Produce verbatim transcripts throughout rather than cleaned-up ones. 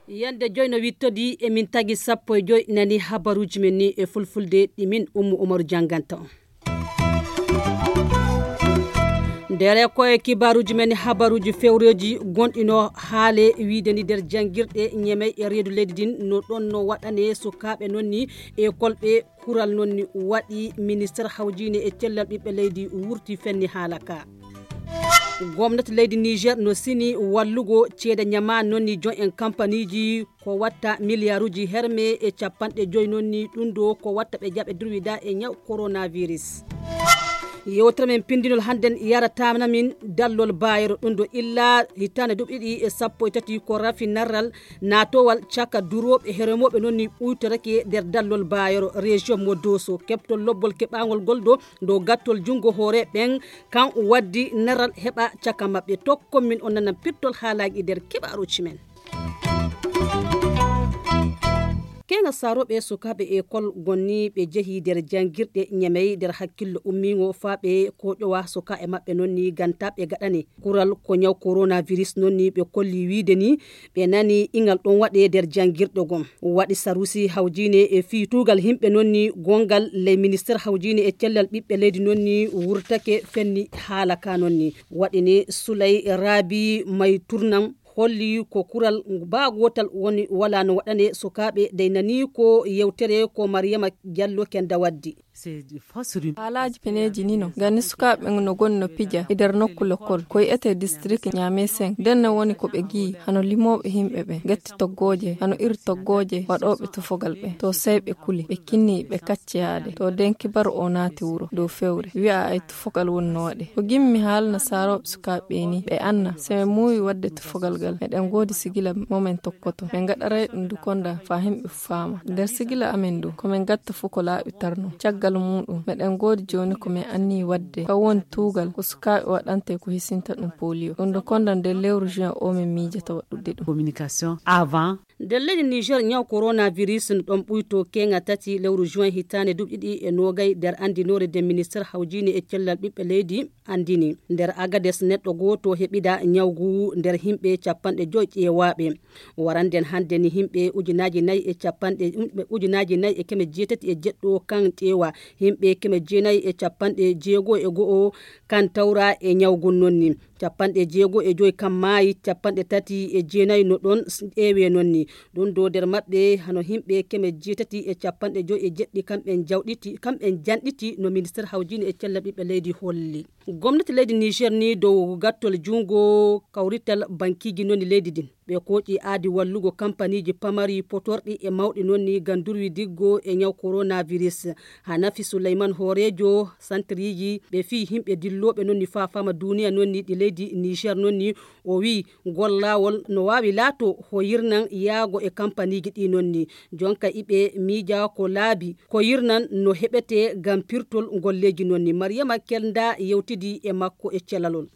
Yande joy no wittodi, emin tagi sappo e joy nani habaruuji men ni e fulfulde, ɗi min Ummu Umaru jannganta on. Ndere koye kibaruuji men, habaruuji fewreeji gonɗino haale wiide ni nder janngirɗe ñemey e reedu leydi din, no ɗon no waɗane sukaaɓe noon ni e kolɓe kural noon ni waɗi minister hawjiine e cellal ɓiɓɓe leydi wurti fenni haala ka. Gomnati leydi Niger no sini wallugo ceede ñama noon ni joy en kampaniiji ko watta miliyaaruuji herme e capanɗe joy noon ni ɗum ɗo ko watta ɓe jaɓe durwida e ñaw coronavirus. Yewtere men pindinol hannden yaratana min dallol baayero ɗum ɗo illa hitaande duuɓi ɗiɗi e sappo e tati ko rafi narral naatowal caka durooɓe e heremooɓe noon ni ɓuytorake nder dallol baayero région mo Doso. Keɓtol lobbol keɓaangol gol ɗo dow gattol junngo hoore ɓen kan waddi naral heɓa caka maɓɓe. Tokkon min on nanan pirtol haalaaji nder keɓaaruuji men. Keeŋa saarooɓe sukaaɓe ekol gonni ɓe jehi nder janngirɗe ñamey nder hakkillo ummiingo faa ɓe kooƴowa sukaaɓe maɓɓe noon ni gantaaɓe gaɗani kural ko ñaw coronavirus noon ni ɓe kolli wiide ni ɓe nani ingal ɗon waɗe nder janngirɗe gom waɗi sarusi hawjiine e fii tuugal himɓe noon ni gonngal ley minister hawjiine e cellal ɓiɓɓe leydi noon ni wurtake fenni haala ka noon ni waɗi ni sulay raabi may turnan holli ko kural baa gootal woni wala no waɗane sukaaɓe dey nani ko yewtere ko mariyama jallo kenda waddi. Haalaaji peneeji ni no ngani sukaaɓe ɓen no goni no pija e nder nokku lekkol ko yi'ete district ñaame sen nden no woni ko ɓe gi'i hano limooɓe himɓe ɓen gatti toggooje hano iri toggooje waɗooɓe tufogal ɓen to sey ɓe kuli ɓe kinni ɓe kacci yaade to nden kibaru o naati wuro dow fewre wi'a ay tufogal woni no waɗe ko gimmi haalna saarooɓe sukaaɓe ɓe ni ɓe anna se ɓe muuyi waɗde tufogal ngal meɗen ngoodi sigila momen tokkoto ɓe ngaɗaray ɗum dukonda faa himɓe faama nder sigila amen ndu ko min gatta fuu ko laaɓi tarno caggal muuɗum meɗen ngoodi jooni ko min anni waɗde kan woni tuugal ko sukaaɓe waɗante ko hisinta ɗum poliyo ɗum dukonda nder lewru juin o min miijata waɗude ɗum. Communication avant. Nder leydi Niger ñaw coronavirus no ɗon ɓuyto keeŋa tati lewru juin hitaande duuɓi ɗiɗi e noogay nder anndinoore nde minister hawjiine e cellal ɓiɓɓe leydi anndini. Nder Agades neɗɗo gooto heɓida ñaw ngu nder himɓe capanɗe joy ƴeewaaɓe. Waranden hannde ni himɓe ujunaaji nayi e capanɗe ujunaaji nayi e keme jeetati e jeɗɗo kan ƴeewa. Himɓe keme jeenayi e capanɗe jeego e go'o kan tawra e ñaw ngun noon ni. Capanɗe jeego e joy kan maayi capanɗe tati e jeenayi no ɗon ƴeewe noon ni. Ɗum ɗo nder maɓɓe hano himɓe keme jeetati e capanɗe joy e jeɗɗi kamɓen jawɗiti kamɓen janɗiti no minister hawjiine e cellal ɓiɓɓe leydi holli. Gomnati leydi Niger ni dow gattol junngo kawrital bankiiji noni leydi din ɓe kooƴi aadi wallugo kampaniiji pamari potorɗi e mawɗi noni ngam durwi diggo e ñaw coronavirus. Hanafi Suleyman hooreejo santriiji ɓe fii himɓe dillooɓe noni faa fama duuniya noni ɗi leydi Niger noni o wii gollawol no waawi laato hoyirnan yaago e kampaniiji ɗi nonni jonka iɓe miija ko laabi ko yirnan no heɓete ngam pirtol golleeji nonni mariyama kelda yewtidi e makko e celalol.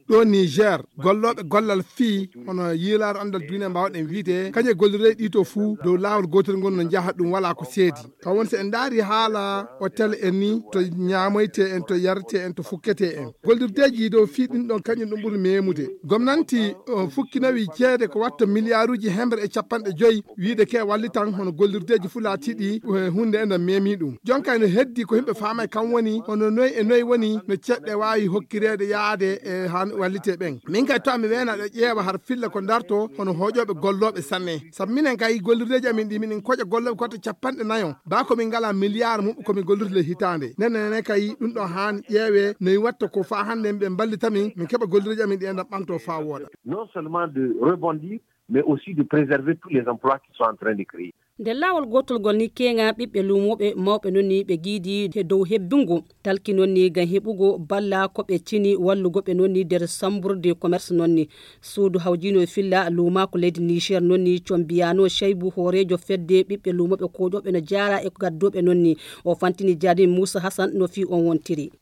Ɗo Niger gollooɓe gollal fii hono yiilaare anndal duuniya mbaawɗen wiide kañe gollirey ɗi to fuu dow laawol gootol ngol no njaha ɗum walaa ko seedi. Kam woni so en ndaari haala hotel en ni to ñaamoyte en to yarete en to fukkete en gollirdeeji dow fii ɗin ɗon kañum ɗum ɓuri meemude. Gomnanti fukkinowi ceede ko watta miliyaaruuji hemre e capanɗe joyi wiide ke wallitan hono gollirdeeji fuu laatiiɗi huunde enen meemi ɗum. Jonka ene heddi ko yimɓe faama e kam woni hono noy e noy woni no ceɗɗe waawi hokkireede yaade e haa wallite ɓen. Min kay to mi weena ɗo ƴeewa har filla ko darto hono hooƴooɓe gollooɓe sanne. Sabu minen kay gollirdeeji amin ɗi minen koƴa gollooɓe koto capanɗe nayo baa ko min ngalaa miliyaar muɓɓe ko min gollirde le hitaande. Nene nene kay ɗum ɗo haani ƴeewe noy watta ko faa hannde ɓe mballita min min keɓa gollirdeeji amin ɗi enɗan ɓanto faa wooɗa. Non seulement de rebondir mais aussi de préserver tous les emplois qui sont en train de créer. Nde laawol gootolgol ni keeŋa ɓiɓɓe luumooɓe mawɓe noon ni ɓe giidi e dow hebbingo talki noon ni ngam heɓugo balla ko ɓe cini wallugo ɓe noon ni nder sambur de commerce noon ni suudu hawjiino e filla luumaaku leydi niger noon ni combiyano cheybu hooreejo fedde ɓiɓɓe luumooɓe kooƴooɓe no jaara e gaddooɓe noon ni. O fantini jaadim muusa hasan no fii on wontiri.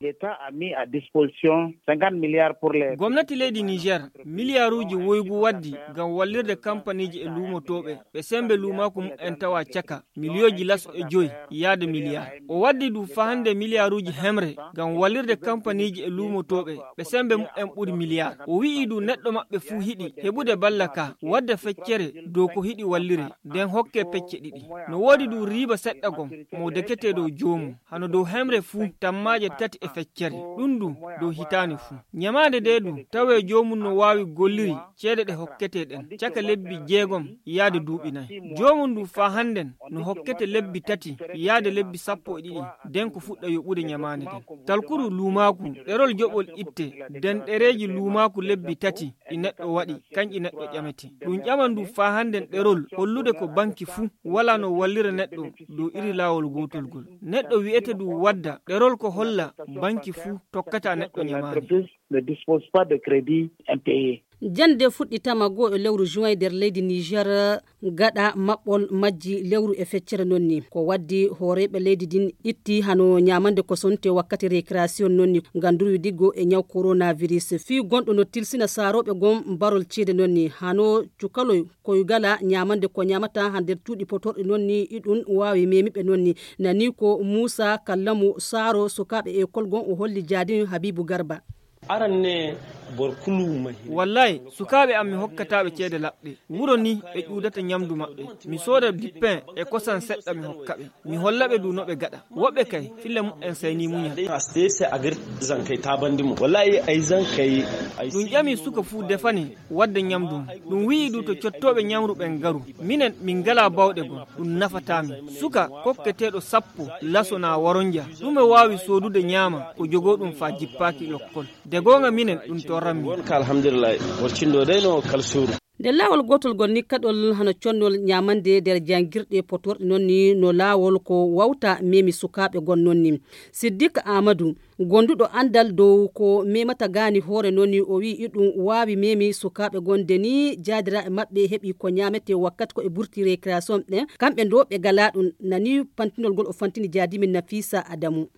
Gomnati leydi niger miliyaaruuji woygu waddi ngam wallirde kampaniiji e luumotooɓe ɓe semmbe luumaaku mumen. tawa caka miliyooji laso e joyi yaade miliyaar. O waddi du fahande miliyaaruuji hemre ngam wallirde kampaniiji e luumotooɓe ɓe semmbe mumen ɓuri miliyaar. O wi'i du neɗɗo maɓɓe fuu hiɗi heɓude balla ka wadda feccere dow ko hiɗi wallire, nden hokke pecce ɗiɗi. No woodi du riiba seɗɗa gom mo dekete dow joomum. Hano dow hemre fuu tammaaje tati e feccere, ɗum du dow hitaande fuu. Ñamaande nde du tawee joomum no waawi golliri ceede ɗe hokkete ɗen caka lebbi jeegom yaade duuɓi nay. Joomum du faa hannden no hokkete lebbi tati yaade lebbi sappo e ɗiɗi, nden ko fuɗɗa yoɓude ñamaande nden. Talkuru luumaaku, ɗerol joɓol itte, nden ɗereeji luumaaku lebbi tati ɗi neɗɗo waɗi, kanƴi neɗɗo ƴamete. Ɗum ƴaman du faa hannden ɗerol hollude ko banki fuu walaa no wallira neɗɗo dow iri laawol gootol gol. Neɗɗo wi'ete du wadda ɗerol ko holla banki fuu tokkata neɗɗo ñamaande. Ne dispose pas de crédit impayé. Jannde fuɗɗitama goo e lewru juin nder leydi Niger gaɗa maɓɓol majji lewru e feccere noon ni. Ko waddi hooreeɓe leydi din itti hano ñamande ko sonte wakkati récréation noon ni ngam durwi diggo e ñaw coronavirus. Fii gonɗo no tilsina saarooɓe gom barol ceede noon ni hano cukaloy koy gala ñamande ko ñamata ha nder cuuɗi potorɗi noon ni iɗum waawi memiɓe noon ni. Nani ko Muusa Kallamu Saaro sukaaɓe ekol gon o holli jaadin Habiibu Garba. Aran ne bor kulu mahi. Wallahi, sukaaɓe am mi hokkataaɓe ceede laɓɗe. Wuro ni ɓe ƴuudata ñamdu maɓɓe. Mi sooda dippen e kosan seɗɗa mi hokkaɓe. Mi hollaɓe du no ɓe gaɗa. Woɓɓe kay, filla mumen sayni muñal. Aste se agir zankay tabandi mo. Wallahi ay zankay. Ay ɗum ƴami suka fuu defane wadda ñamdu mum. Ɗum wi'i du to cottooɓe ñamru ɓen garu. Minen min ngala bawɗe gom. Ɗum nafataa min. Suka kokketeeɗo sappo laso na waronja. Ɗume waawi soodude ñaama ko jogoo ɗum faa jippaaki lokkol. De goonga minen ɗum torran min. Wonka alhamdulillahi. Worcindo dey no kalsuuru. Nder laawol gootol ngol ni kaɗol hano connol ñamande nder jangirɗe potorɗe noon ni no laawol ko wawta memi sukaaɓe gon noon ni. Siddik Amadou, gonduɗo andal dow ko memata gaani hoore noon ni o wi'i iɗum waawi memi sukaaɓe gon de ni jaadiraaɓe maɓɓe heɓi ko ñamete wakkati ko e burti récréation ɓen kamɓe ndo ɓe gala ɗum nani pantinol ngol o fantini jaadimin Nafisa Adamu.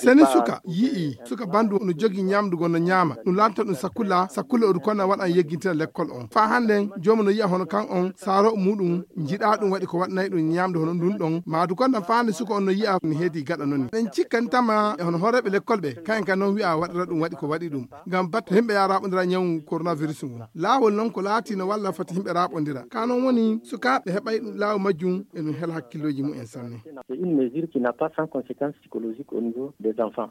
Seni suka yi'i suka bandu no jogi ñamdu gon no ñaama ɗum lanta ɗum sakula sakula odu konna waɗan yeggintira lekkol on faa hannden jooma no yi'a hono kan on saaro muɗum njiɗa ɗum waɗi ko waɗnay ɗum ñamdu hono ndun ɗon maadu konna faa hannde suka on no yi'a no heedi gaɗa non ɗen cikkantama e hono hooreɓe lekkol ɓe kayen kan non wi'a waɗira ɗum waɗi ko waɗi ɗum ngam batte himɓe ya raɓodira ñawu coronavirus ngun laawol non ko laati no walla foti himɓe raɓodira ka non woni sukaaɓe heɓay ɗum laawo majjum e ɗum hel hakkillooji mumen sanne. C'est une mesure qui n'a pas sans conséquence psychologique au niveau des enfants.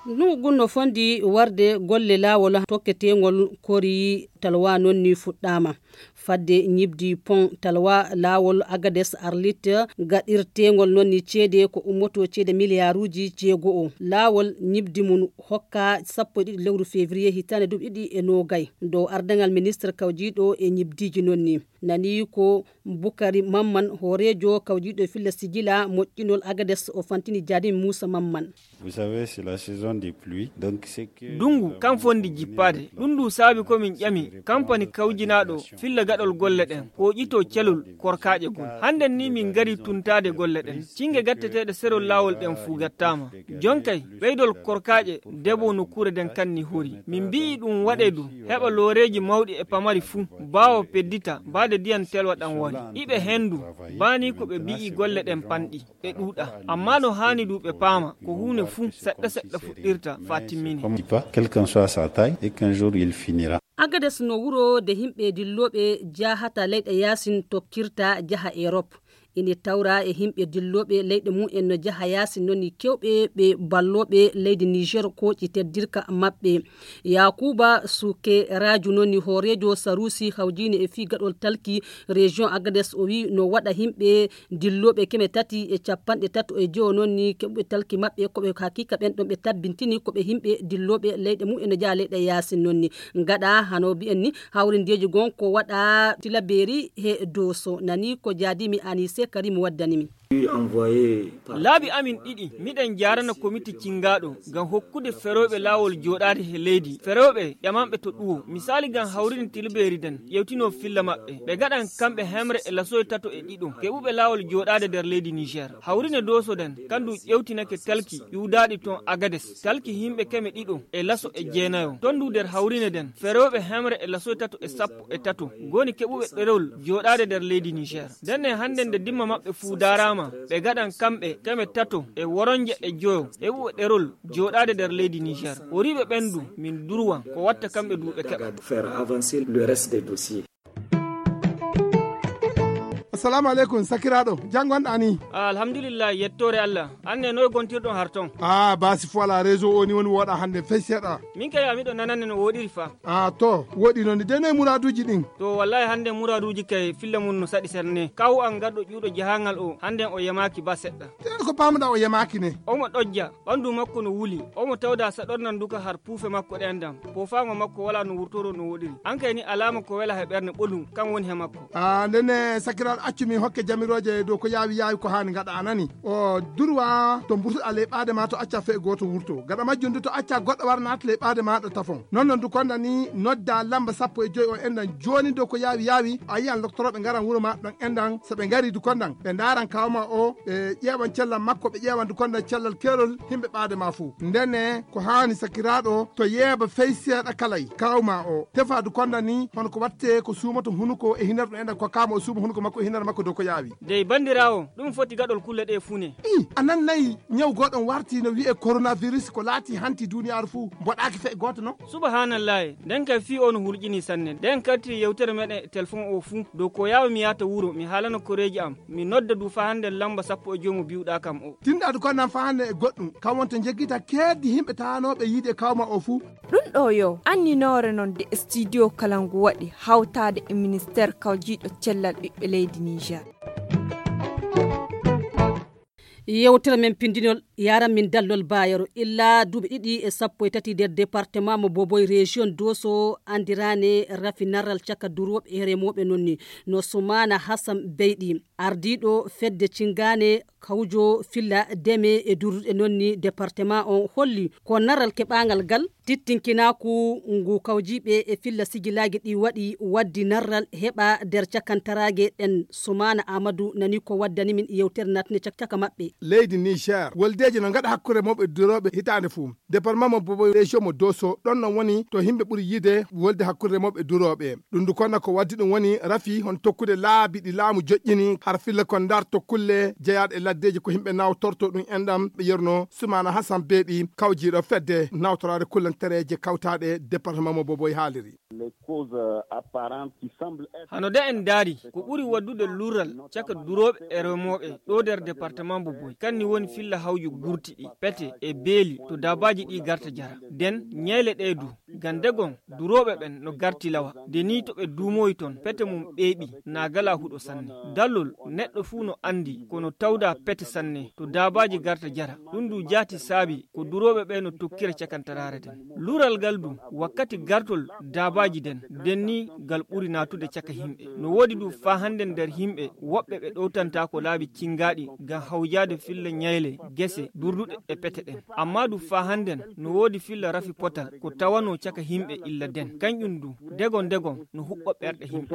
Nugun no fondi warde golle laawol tokketeŋol kori talwa non ni fuɗɗama. Fadde ñibdi pon talwa laawol agades arlit gaɗirteŋol non ni ceede ko ummoto ceede miliyaaruuji jeego'o laawol ñibdi mum hokka sappo e ɗiɗi lewru février hitaande duuɓi ɗiɗi e noogay dow ardaŋal ministre kawjiiɗo e ñibdiiji non ni. Nani ko bukari mamman hooreejo kawjiiɗo filla sijila moƴƴinol agades o fantini jaadin muusa mamman. Vous savez, c'est la saison des pluies. Donc c'est que dungu kan fondi jippaade ɗum ndu saabi ko min ƴami kampani kawjinaaɗo filla gaɗol golle ɗen ko ƴito celol korkaaƴe gol. Hannden ni min ngari tuntaade golle ɗen cinge gatteteeɗe serol laawol ɗen fuu gattaama. Jonkay ɓeydol korkaaƴe debo nokkuure nden kanni hori min mbi'i ɗum waɗe du heɓa looreeji mawɗi e pamari fuu baawo peddita baade diyan telwa ɗan wari iɓe hendu baani ko ɓe mbi'i golle ɗen panɗi. Ɓe ɗuuɗa amma no haani du ɓe paama ko huunde fuu seɗɗa seɗɗa fuɗɗirta faa timmine. Quel qu'en soit sa taille et qu'un jour il finira. Agades no wuro de himɓe dillooɓe jahata leyɗe yaasin tokkirta jaha erop. Ine tawra e himɓe dillooɓe leyɗe mum en no jaha yaasin noon ni kewɓe ɓe ballooɓe leydi niger kooƴi teddirka maɓɓe. Yakuba suke raju noon ni hooreejo sarusi hawjine e fii gaɗol talki région agades o wi no waɗa himɓe dillooɓe keme tati e capanɗe tato e jowo noon ni keɓuɓe talki maɓɓe koɓe hakika ɓen ɗon ɓe tabbintini koɓe himɓe dillooɓe leyɗe mum ene jaa leyɗe yaasin noon ni. Gaɗa hano mbiyen ni hawrindeeji gon ko waɗa tilabeeri he dooso nani ko jaadimi anise. Karim waddani min. Laabi amin ɗiɗi, miɗen jaarana komiti cingaaɗo ngam hokkude ferooɓe laawol jooɗaade he leydi. Ferooɓe ƴamanɓe to ɗuwo, misaali ngam hawrine tilbeeri den, ƴewtinoo filla maɓɓe. Ɓe gaɗan kamɓe hemre e lasoy tato e ɗiɗo, keɓuɓe laawol jooɗaade nder leydi Niger. Hawrine dooso den, kandu ƴewtinake talki ƴuwdaaɗi ton Agades, talki himɓe keme ɗiɗo e laso e jeenayo. Ton du nder hawrine den, ferooɓe hemre e lasoy tato e sappo e tato, goni keɓuɓe ɗerol jooɗaade nder leydi Niger. Ndenne hande nde dimma maɓɓe fuu daaraama, ɓe gaɗan kamɓe keme tato e woronje e joyo, heɓuɓe ɗerol jooɗaade nder leydi Niger. Horiiɓe ɓen du, min durwan ko watta kamɓe du ɓe keɓa. Faire avancer le reste des dossiers. Assalamu aleykum, sakiraaɗo. Jam ngonɗaa ni? Ah, alhamdulillah, yettoore Allah. An ne, noy gontirɗon har ton? Ah, baasi fo alaa, réseau o ni woni wooɗaa hande fey seeɗa. Min kay, a miɗo nanande no wooɗiri fa. Ah, to, wooɗi noon ni. De noy muraaduuji ɗin? To, wallahi hande muraaduuji kay filla mun no saɗi serne. Kaw an garɗo ƴuuɗo jahangal o, hande o yamaaki ba seɗɗa. Te ko paamuɗaa o yamaaki ne? Omo ɗojja, ɓandu makko no wuli. Omo tawda saɗornan duka har puufe makko ɗen dam. Poofaango makko walaa no wurtoro no wooɗiri. An kay ni alaama ko wela he ɓernde ɓolum, kan woni he makko. Ah, ndenne sakiraaɗo, accu min hokke jamirooje dow ko yaawi yaawi ko haani ngaɗa, a nani? O durwa to mburtuɗaa ley ɓaade ma to acca fee gooto wurto. Gaɗa majjum du to acca goɗɗo wara naata ley ɓaade maaɗa tafon. Non non du konda ni nodda lamba sappo e joy on endan jooni dow ko yaawi yaawi. A yiyan loktorooɓe ngaran wuro ma ɗon endan. So ɓe ngari du kondan ɓe ndaaran kawma o, ɓe ƴeewan cellal makko, ɓe ƴeewan du kondan cellal keerol himɓe ɓaade ma fuu. Ndenne ko haani sakiraaɗo to yeeba fey seeɗa kalay kawma o. Tefa du kondan ni hono ko watte ko suumoto hunuko e hinar ɗum endan ko kawma o suuma hunuko makko e hinar makko dow ko yaawi. Dey bandiraawo, ɗum foti gaɗol kulle ɗe fuu ne. I, a nannayi ñaw goɗon warti no wi'e coronavirus ko laati hanti duniyaaru fuu mboɗaaki fey gooto non? Subhanallahi, nden kay fii o no hulƴini sanne. Nden karti yewtere meɗen e telefon o fuu. Dow ko yaawa mi yaata wuro, mi haalana koreeji am, mi nodda du faa hande lamba sappo e joy mo biwɗaa kam o. Tinɗaadu kondan faa hande e goɗɗum, kam wonto njeggita keeddi himɓe taanooɓe yiide kawma o fuu. Ɗum ɗo yo anninoore non de studio kala ngu waɗi hawtaade e ministeer kawjiiɗo cellal ɓiɓɓe leydi Niger. Yewtere men pindinol yaran min dallol Bayero. Illa duuɓi ɗiɗi e sappo e tati nder département mo Boboy, région Doso, andirane rafi narral caka durooɓe e remooɓe non ni no Soumana Hassan Beyɗi, ardiiɗo fedde Cingane kawjo filla deme e durduɗe non ni département on holli ko narral keɓangal gal tittinkinaaku ngu kawjiiɓe e filla sigilaagi ɗi waɗi waddi narral heɓa nder cakantaraage ɗen. Soumana Amadou nani ko waddani min yewtere natne cak-, caka maɓɓe. Leydi Niger, woldeeji no ngaɗa hakkunde mawɓe durooɓe hitaande fuu. Département mo Boboy, région mo Doso, ɗon non woni to himɓe ɓuri yiide wolde hakkunde mawɓe durooɓe. Ɗum du konna ko waddi ɗum woni rafi hon tokkude laabi ɗi laamu joƴƴini har filla kon ndar to kulle jeyaaɗe e laddeeji ko himɓe nawtorto ɗum enɗam ɓe yerno Soumana Hassan Beyɗi, kawjiiɗo fedde nawtoraade kullantereeje kawtaaɗe département mo Boboy haaliri. Hano de en ndaari, ko ɓuri waddude lurral caka durooɓe e remooɓe ɗo nder département Boboy, kanni woni filla hawju gurti ɗi, pete e beeli to dabaaji ɗi garta jara. Den ñeele ɗe du, gande gon durooɓe ɓen no garti lawa, de ni to ɓe duumoyi ton, pete mum ɓeeɓi, na gala huɗo sanne. Dallol, neɗɗo fuu no andi, kono tawda pete sanne to dabaaji garta jara. Ɗum du jaati saabi ko durooɓe ɓe no tokkira cakantaraare den. Lural ngal du, wakkati gartol daabaaji den, den ni ngal ɓuri naatude caka himɓe. No woodi du faa hande nder himɓe, woɓɓe ɓe ɗowtantaako laabi cingaaɗi ngam hawjaade filla ñayle, gese, durduɗe e pete ɗen. Amma du faa handen, no woodi filla rafi potal ko tawanoo caka himɓe illa den. Kanƴum du, dego dego no huɓɓa ɓerɗe himɓe.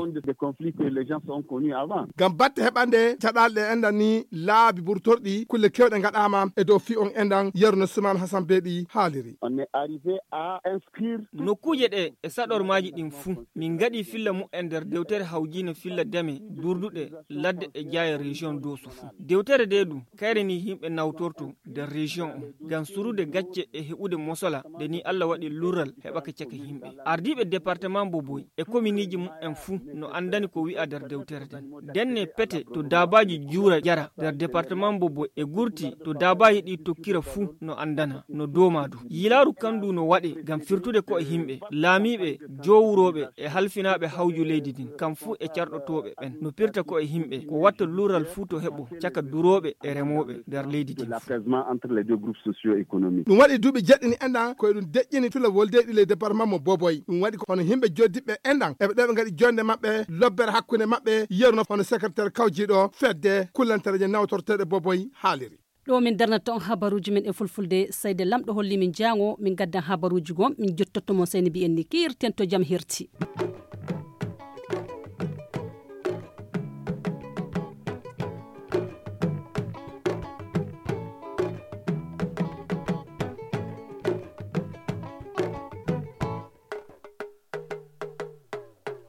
Ngam batte heɓande caɗaale ɗe enɗan ni laabi burtorɗi, kulle kewɗe ngaɗaama e dow fii on enɗan, Yerno Suman Hasan Beeɗi haaliri. On est arrivé à inscrire tout. Nokkuuje ɗe e saɗormaaji ɗin fuu, min ngaɗi filla mu'en nder dewtere hawjiine filla dame, durduɗe, ladde e jaaye région Dooso fuu. Dewtere de du, kayre ni himɓe nawtorto nder région on, ngam surude gacce e heɓude mosola, nde ni Alla waɗi lurral heɓaka caka himɓe. Ardiiɓe département Boboy e kominiiji mu'en fuu no andani ko wi'a nder dewtere nden. Denne pete to daabaaji juura jara nder département Boboy e gurti to daabaaji ɗi tokkira fuu no andana, no dooma du. Yilaaru kandu no Waɗe ngam firtude ko'e yimɓe, laamiiɓe, jowrooɓe e halfinaaɓe hawju leydi ndin, kam fuu e carɗotooɓe ɓen no pirta ko'e yimɓe, ko watta luural fuu to heɓo caka durooɓe e remooɓe nder leydi ndin. L'apaisement entre les deux groupes socio-économiques. Ɗum waɗi duuɓi jeɗɗini enɗan ko eɗum deƴƴini tula woldeeɗi ley département mo Boboy. Ɗum waɗi ko hono yimɓe joddiɓe enɗan eɓe ɗo ɓe ngaɗi jonde maɓɓe, lobbere hakkunde maɓɓe, yeru no hono secrétaire kawjiiɗo fedde kullantereeje nawtorteeɗe Boboy haaliri. Ɗo min darnata on habaruuji men e fulfulde. Sayde Lamɗo holli min jaango min gaddan habaruuji goo, min jottotto mon sey no mbiyen ni kiirten to jam herti.